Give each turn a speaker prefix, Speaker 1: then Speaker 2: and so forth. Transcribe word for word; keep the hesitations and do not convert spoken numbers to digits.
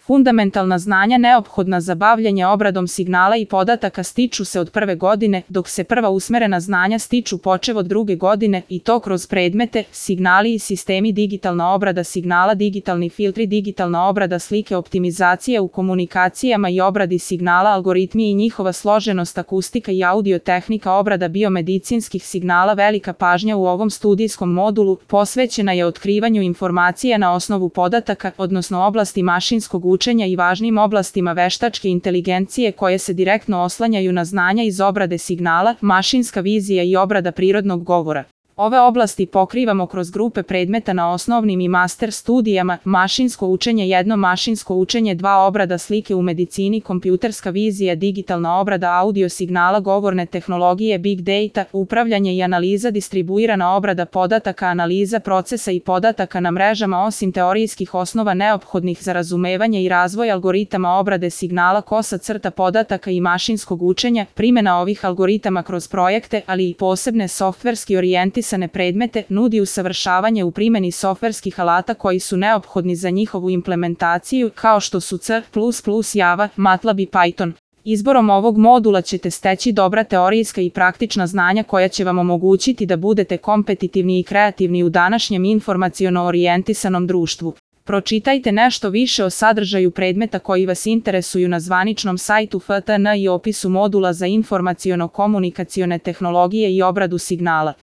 Speaker 1: Fundamentalna znanja neophodna za bavljenje obradom signala i podataka stiču se od prve godine, dok se prva usmerena znanja stiču počev od druge godine i to kroz predmete, signali i sistemi, digitalna obrada signala, digitalni filtri, digitalna obrada slike, optimizacija u komunikacijama i obradi signala, algoritmi i njihova složenost, akustika i audiotehnika, obrada biomedicinskih signala. Velika pažnja u ovom studijskom modulu posvećena je otkrivanju informacija na osnovu podataka, odnosno oblasti mašinskog učenja i važnim oblastima veštačke inteligencije koje se direktno oslanjaju na znanja iz obrade signala, mašinska vizija i obrada prirodnog govora. Ove oblasti pokrivamo kroz grupe predmeta na osnovnim i master studijama: mašinsko učenje jedno, mašinsko učenje dva, obrada slike u medicini, kompjuterska vizija, digitalna obrada audio signala, govorne tehnologije, big data, upravljanje i analiza, distribuirana obrada podataka, analiza procesa i podataka na mrežama. Osim teorijskih osnova neophodnih za razumevanje i razvoj algoritama obrade signala, kosa crta podataka i mašinskog učenja, primjena ovih algoritama kroz projekte, ali i posebne softverski orijentisane predmete, nudi usavršavanje u primjeni softverskih alata koji su neophodni za njihovu implementaciju, kao što su C plus plus, Java, MATLAB i Python. Izborom ovog modula ćete steći dobra teorijska i praktična znanja koja će vam omogućiti da budete kompetitivni i kreativni u današnjem informaciono orijentisanom društvu. Pročitajte nešto više o sadržaju predmeta koji vas interesuju na zvaničnom sajtu F T N i opisu modula za informaciono-komunikacione tehnologije i obradu signala.